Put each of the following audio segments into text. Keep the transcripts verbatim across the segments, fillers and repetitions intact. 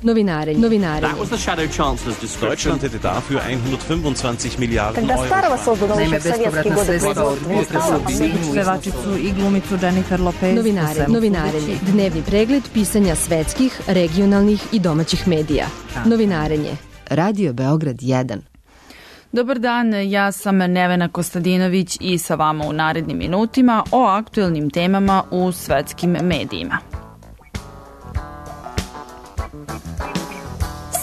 Novinarenje. Novinarenje. That was the Shadow Chancellor's description. Deutschland hätte dafür hundertfünfundzwanzig Miliarden Когда Euro. старого создано Naime, еще в советские bespovratna годы sredstva od производства. pevačicu i glumicu Jennifer Lopez. Novinarenje. Novinarenje. Dnevni pregled pisanja svetskih, regionalnih i domaćih medija. Novinarenje. Radio Beograd jedan. Dobar dan, ja sam Nevena Kostadinović i sa vama u narednim minutima o aktuelnim temama u svetskim medijima.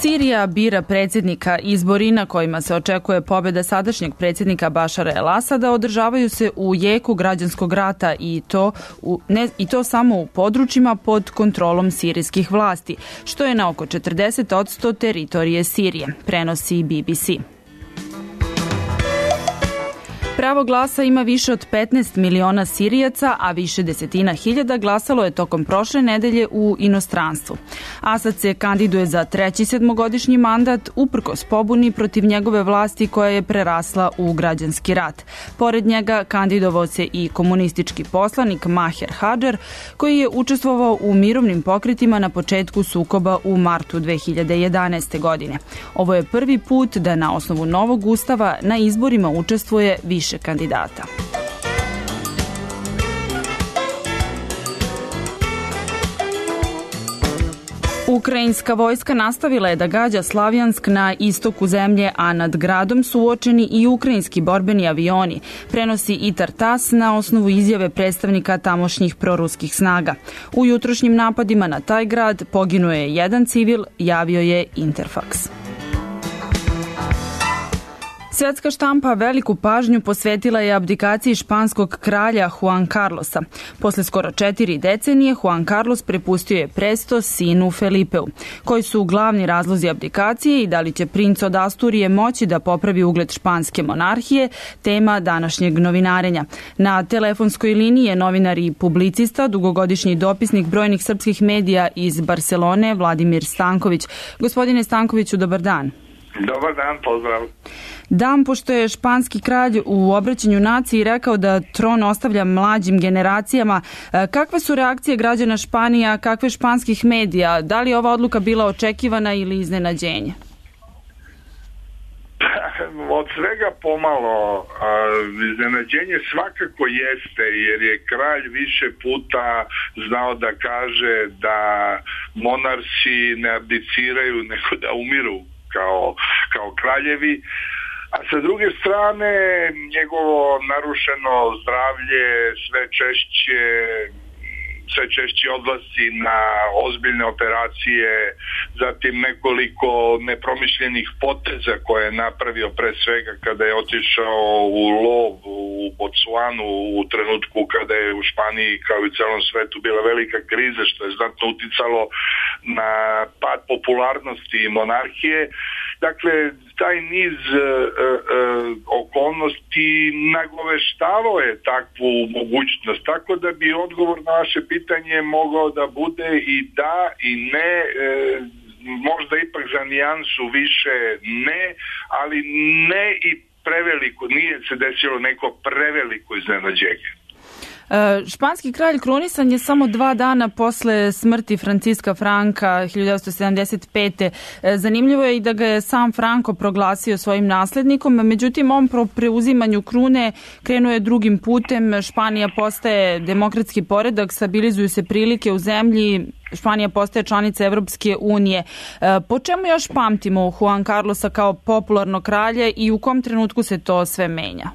Sirija bira predsjednika. Izbori na kojima se očekuje pobjeda sadašnjeg predsjednika Bašara el-Asada održavaju se u jeku građanskog rata i to, u, ne, i to samo u područjima pod kontrolom sirijskih vlasti, što je na oko četrdeset posto teritorije Sirije, prenosi B B C. Pravo glasa ima više od petnaest miliona Sirijaca, a više desetina hiljada glasalo je tokom prošle nedelje u inostranstvu. Asad se kandiduje za treći sedmogodišnji mandat uprkos pobuni protiv njegove vlasti koja je prerasla u građanski rat. Pored njega kandidovao se i komunistički poslanik Maher Hadžar, koji je učestvovao u mirovnim pokretima na početku sukoba u martu dve hiljade jedanaeste. godine. Ovo je prvi put da na osnovu novog ustava na izborima učestvuje više kandidata. Ukrajinska vojska nastavila je da gađa Slavjansk na istoku zemlje, a nad gradom su uočeni i ukrajinski borbeni avioni, prenosi i Tartas na osnovu izjave predstavnika tamošnjih proruskih snaga. U jutrošnjim napadima na taj grad poginuo je jedan civil, javio je Interfax. Svetska štampa veliku pažnju posvetila je abdikaciji španskog kralja Juan Carlosa. Posle skoro četiri decenije Juan Carlos prepustio je presto sinu Felipeu. Koji su glavni razlozi abdikacije i da li će princ od Asturije moći da popravi ugled španske monarhije, tema današnjeg novinarenja. Na telefonskoj liniji je novinar i publicista, dugogodišnji dopisnik brojnih srpskih medija iz Barcelone, Vladimir Stanković. Gospodine Stankoviću, dobar dan. Dobar dan, pozdrav. Dan, pošto je španski kralj u obraćanju naciji rekao da tron ostavlja mlađim generacijama, kakve su reakcije građana Španije, a kakve španskih medija? Da li je ova odluka bila očekivana ili iznenađenje? Od svega pomalo. Iznenađenje svakako jeste, jer je kralj više puta znao da kaže da monarsi ne abdiciraju, nego da umiru kao, kao kraljevi. A sa druge strane, njegovo narušeno zdravlje sve češće, sve češće odlasci na ozbiljne operacije, zatim nekoliko nepromišljenih poteza koje je napravio pre svega kada je otišao u lov u Botswanu u trenutku kada je u Španiji kao i u celom svetu bila velika kriza, što je znatno uticalo na pad popularnosti monarhije. Dakle, taj niz e, e, okolnosti nagoveštavao je takvu mogućnost, tako da bi odgovor na vaše pitanje mogao da bude i da i ne, e, možda ipak za nijansu više ne, ali ne i preveliko, nije se desilo neko preveliko iznenađenje. Španski kralj krunisan je samo dva dana posle smrti Franciska Franka hiljadu devetsto sedamdeset pete. Zanimljivo je i da ga je sam Franko proglasio svojim naslednikom, međutim on po preuzimanju krune krenuo je drugim putem. Španija postaje demokratski poredak, stabilizuju se prilike u zemlji, Španija postaje članica Evropske unije. Po čemu još pamtimo Juan Carlosa kao popularno kralje i u kom trenutku se to sve menja?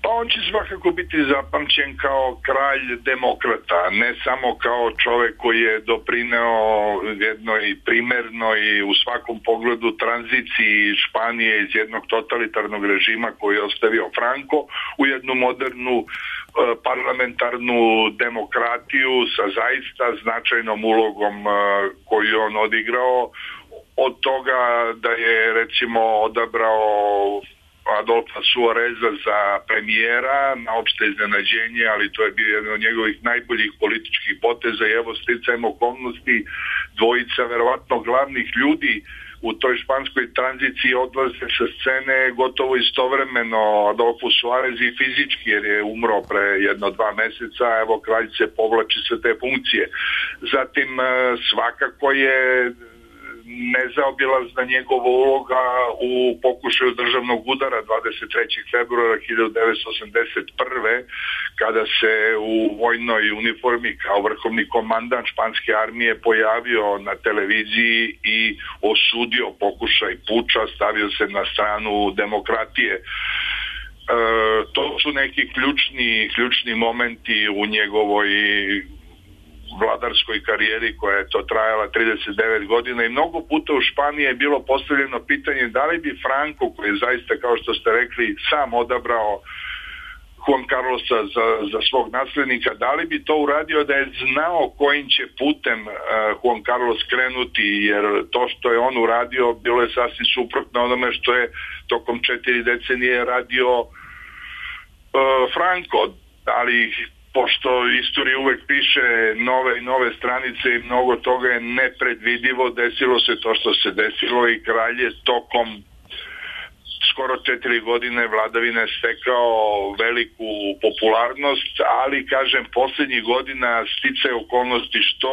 Pa on će svakako biti zapamćen kao kralj demokrata, ne samo kao čovek koji je doprineo jednoj primernoj i u svakom pogledu tranziciji Španije iz jednog totalitarnog režima koji je ostavio Franco u jednu modernu parlamentarnu demokratiju sa zaista značajnom ulogom koju on odigrao, od toga da je recimo odabrao Adolfa Suareza za premijera na opšte iznenađenje, ali to je bio jedan od njegovih najboljih političkih poteza i evo sticajem okolnosti dvojica verovatno glavnih ljudi u toj španskoj tranziciji odlaze sa scene gotovo istovremeno. Adolfo Suarez i fizički, jer je umro pre jedno dva meseca, evo kralj se povlači sa te funkcije. Zatim svakako je nezaobilazna njegova uloga u pokušaju državnog udara dvadeset trećeg februara hiljadu devetsto osamdeset prve kada se u vojnoj uniformi kao vrhovni komandant španske armije pojavio na televiziji i osudio pokušaj puča, stavio se na stranu demokratije. E, to su neki ključni, ključni momenti u njegovoj vladarskoj karijeri koja je to trajala trideset devet godina i mnogo puta u Španiji je bilo postavljeno pitanje da li bi Franco, koji je zaista, kao što ste rekli, sam odabrao Juan Carlosa za, za svog naslednika, da li bi to uradio da je znao kojim će putem uh, Juan Carlos krenuti, jer to što je on uradio bilo je sasvim suprotno onome što je tokom četiri decenije radio uh, Franco, ali pošto istorija uvek piše nove i nove stranice i mnogo toga je nepredvidivo, desilo se to što se desilo i kralj je tokom skoro četiri godine vladavine stekao veliku popularnost, ali kažem poslednjih godina sticaje okolnosti što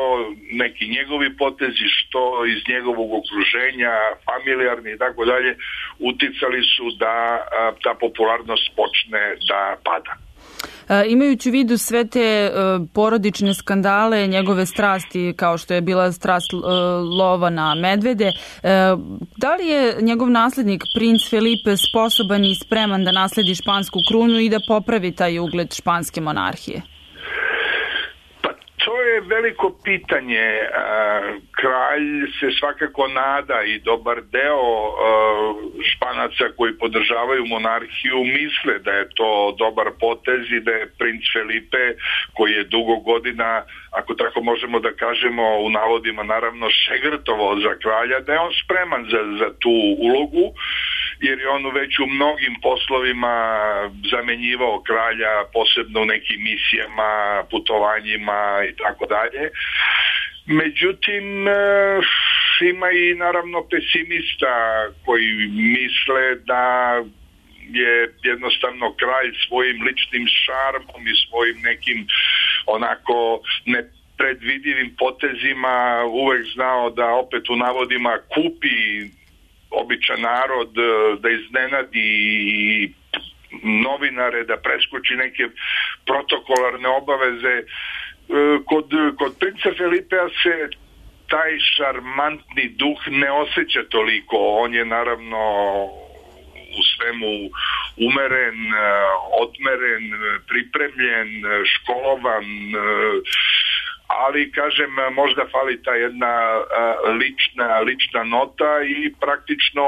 neki njegovi potezi, što iz njegovog okruženja, familijarni i tako dalje, uticali su da a, ta popularnost počne da pada. E, imajući u vidu sve te e, porodične skandale, njegove strasti kao što je bila strast e, lova na medvede, e, da li je njegov naslednik princ Felipe sposoban i spreman da nasledi špansku krunu i da popravi taj ugled španske monarhije? To je veliko pitanje. Kralj se svakako nada i dobar deo Španaca koji podržavaju monarhiju misle da je to dobar potez i da je princ Felipe, koji je dugo godina, ako tako možemo da kažemo u navodima naravno, šegrtovao za kralja, da je on spreman za, za tu ulogu, jer je on već u mnogim poslovima zamenjivao kralja, posebno u nekim misijama, putovanjima i tako dalje. Međutim, ima i naravno pesimista koji misle da je jednostavno kralj svojim ličnim šarmom i svojim nekim onako nepredvidivim potezima uvek znao da opet u navodima kupi običan narod, da iznenadi novinare, da preskoči neke protokolarne obaveze. Kod, kod princa Felipea se taj šarmantni duh ne osjeća toliko. On je naravno u svemu umeren, odmeren, pripremljen, školovan, ali kažem možda fali ta jedna lična, lična nota i praktično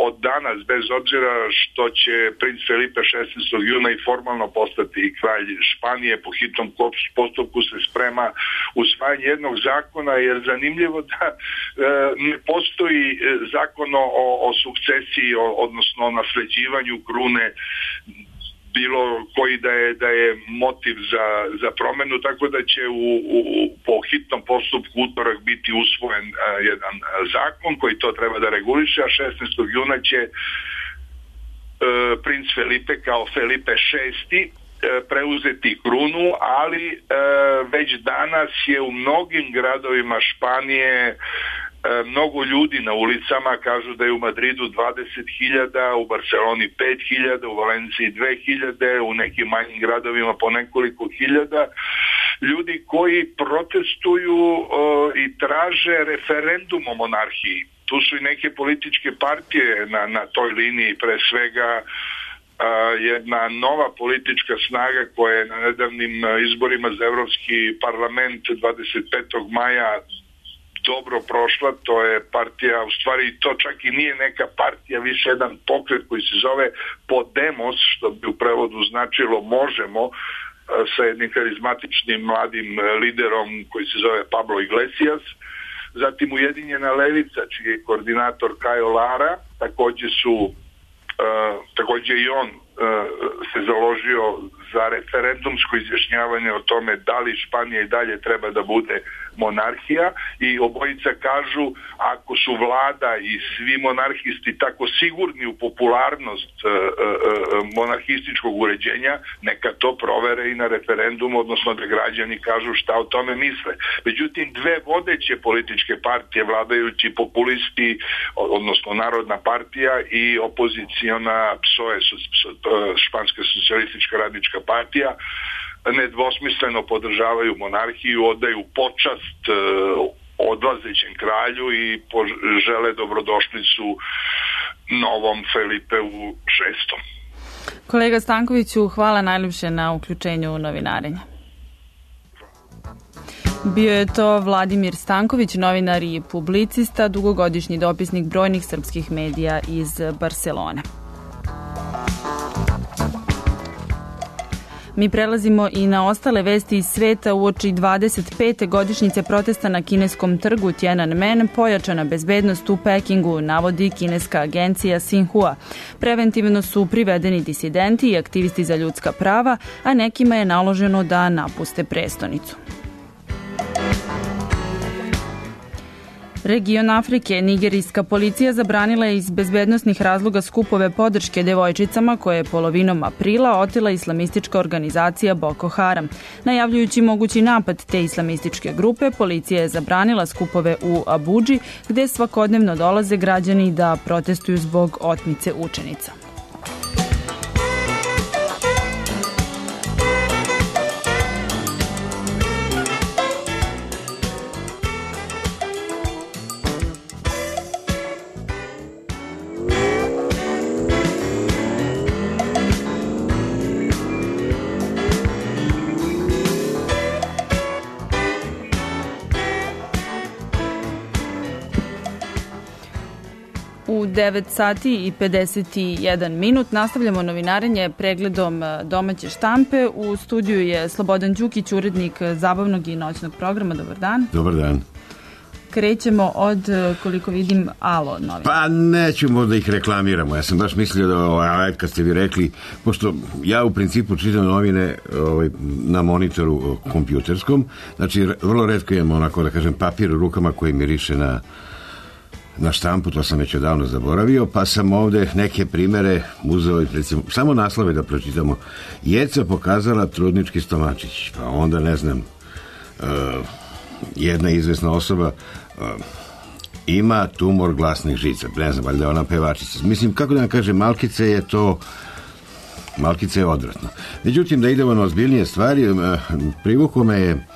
od danas, bez obzira što će princ Felipe šesnaestog juna i formalno postati kralj Španije, po hitnom postupku se sprema usvajanje jednog zakona, jer zanimljivo da ne postoji zakon o, o sukcesiji, odnosno o nasleđivanju krune, bilo koji da je, da je motiv za, za promenu, tako da će u, u, po hitnom postupku utorak biti usvojen a, jedan a, zakon koji to treba da reguliše, a šesnaestog juna će a, princ Felipe kao Felipe šesti a, preuzeti krunu, ali a, već danas je u mnogim gradovima Španije mnogo ljudi na ulicama, kažu da je u Madridu dvadeset hiljada, u Barceloni pet hiljada, u Valenciji dve hiljade, u nekim manjim gradovima po nekoliko hiljada ljudi koji protestuju uh, i traže referendum o monarhiji. Tu su i neke političke partije na, na toj liniji, pre svega Uh, jedna nova politička snaga koja je na nedavnim izborima za Evropski parlament dvadeset petog maja dobro prošla, to je partija, u stvari to čak i nije neka partija, više jedan pokret koji se zove Podemos, što bi u prevodu značilo možemo, sa jednim karizmatičnim mladim liderom koji se zove Pablo Iglesias. Zatim Ujedinjena levica, čiji je koordinator Cayo Lara, takođe su Uh, takođe i on uh, se založio za referendumsko izjašnjavanje o tome da li Španija i dalje treba da bude monarhija, i obojica kažu ako su vlada i svi monarhisti tako sigurni u popularnost e, e, monarhističkog uređenja, neka to provere i na referendumu, odnosno da građani kažu šta o tome misle. Međutim, dve vodeće političke partije, vladajući populisti, odnosno Narodna partija i opoziciona P S O E, Španska socijalistička radnička partija, nedvosmisleno podržavaju monarhiju, odaju počast e, odlazećem kralju i žele dobrodošlicu novom Felipeu šestom. Kolega Stankoviću, hvala najljepše na uključenju u novinarenje. Bio je to Vladimir Stanković, novinar i publicista, dugogodišnji dopisnik brojnih srpskih medija iz Barselone. Mi prelazimo i na ostale vesti iz sveta. Uoči dvadeset pete godišnjice protesta na kineskom trgu Tiananmen pojačana bezbednost u Pekingu, navodi kineska agencija Xinhua. Preventivno su privedeni disidenti i aktivisti za ljudska prava, a nekima je naloženo da napuste prestonicu. Region Afrike, nigerijska policija zabranila je iz bezbednosnih razloga skupove podrške devojčicama koje je polovinom aprila otela islamistička organizacija Boko Haram. Najavljujući mogući napad te islamističke grupe, policija je zabranila skupove u Abudži, gde svakodnevno dolaze građani da protestuju zbog otmice učenica. U devet sati i pedeset jedan minut nastavljamo novinarenje pregledom domaće štampe. U studiju je Slobodan Đukić, urednik zabavnog i noćnog programa. Dobar dan. Dobar dan. Krećemo od, koliko vidim, Alo novina. Pa nećemo da ih reklamiramo. Ja sam baš mislio da, ovaj, kad ste vi rekli, pošto ja u principu čitam novine ovaj, na monitoru kompjuterskom, znači vrlo retko imam onako, da kažem, papir u rukama koji miriše na na štampu, to sam već odavno zaboravio, pa sam ovde neke primere uzeo, recimo, samo naslove da pročitamo. Jeca pokazala trudnički stomačić, pa onda, ne znam, uh, jedna izvesna osoba uh, ima tumor glasnih žica, ne znam, valjda ona pevačica. Mislim, kako da vam kažem, Malkice je to Malkice je odvratno. Međutim, da idemo na ozbiljnije stvari, uh, privukao me je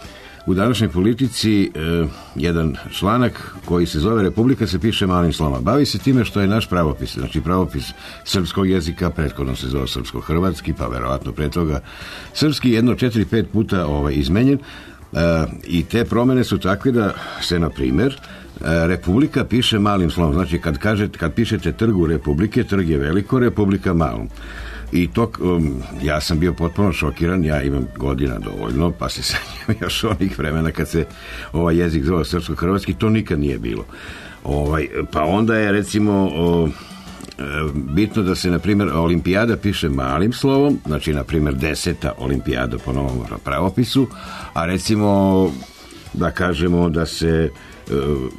u današnjoj politici eh, jedan članak koji se zove Republika se piše malim slovima. Bavi se time što je naš pravopis, znači pravopis srpskog jezika, prethodno se zove srpsko-hrvatski, pa verovatno pre toga srpski, jedno četiri, pet puta ovaj, izmenjen eh, i te promene su takve da se, na primjer, eh, Republika piše malim slovom. Znači, kad, kažete, kad pišete trgu Republike, trg je veliko, Republika malom. I to, um, ja sam bio potpuno šokiran, ja imam godina dovoljno, pa se sanjam još onih vremena kad se ovaj jezik zove srpsko-hrvatski, to nikad nije bilo. Ovaj, pa onda je, recimo, o, e, bitno da se, na primjer, olimpijada piše malim slovom, znači, na primjer, deseta olimpijada po novom pravopisu, a recimo, da kažemo da se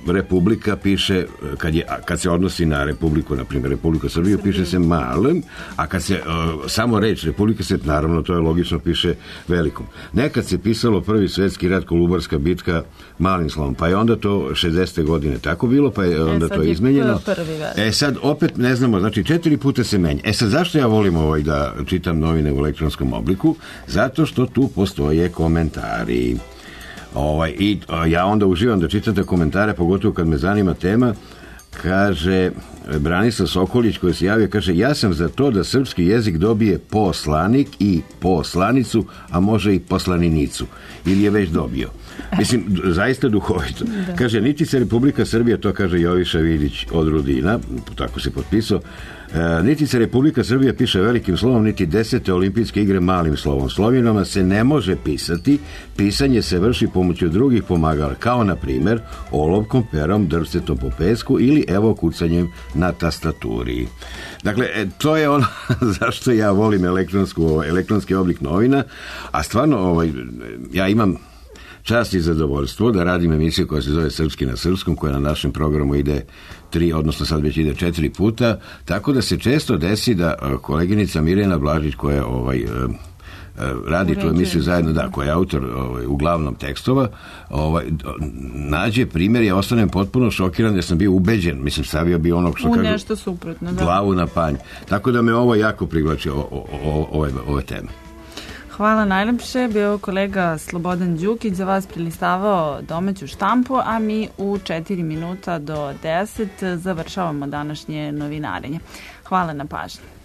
Republika piše, kad, je, kad se odnosi na Republiku, na primjer Republiku Srbiju, piše se malom, a kad se uh, samo reč Republika se, naravno, to je logično, piše velikom. Nekad se pisalo Prvi svjetski rat, Kolubarska bitka malim slovom, pa je onda to šezdesete godine tako bilo, pa je onda e, to izmenjeno. E sad opet ne znamo, znači četiri puta se menja. E sad zašto ja volim ovaj da čitam novine u elektronskom obliku? Zato što tu postoje komentari. Ovaj, i ja onda uživam da čitam te komentare, pogotovo kad me zanima tema. Kaže Branislav Sokolić, koji se javio, kaže, ja sam za to da srpski jezik dobije poslanik i poslanicu, a može i poslaninicu, ili je već dobio. Mislim, zaista duhovito. Da. Kaže, niti se Republika Srbija, to kaže Joviša Vidić od Rudina, tako se potpisao, e, niti se Republika Srbija piše velikim slovom, niti desete olimpijske igre malim slovom. Slovinama se ne može pisati, pisanje se vrši pomoću drugih pomagala, kao na primjer olovkom, perom, drvcetom po pesku ili evo kucanjem na tastaturi. Dakle, to je ono zašto ja volim elektronsku, elektronski oblik novina, a stvarno ovaj, ja imam čast i zadovoljstvo da radim emisiju koja se zove Srpski na srpskom, koja na našem programu ide tri, odnosno sad već ide četiri puta, tako da se često desi da koleginica Mirjana Blažić, koja ovaj, radi tu emisiju zajedno, da, koja je autor ovaj, uglavnom tekstova, ovaj, nađe primjer, ja ostanem potpuno šokiran jer sam bio ubeđen, mislim, stavio bi onog što u kažu, nešto suprotno, da. Glavu na panj. Tako da me ovo jako privlači, o, o, o, ove, ove teme. Hvala najlepše, bio kolega Slobodan Đukić za vas prilistavao domaću štampu, a mi u četiri minuta do deset završavamo današnje novinarenje. Hvala na pažnji.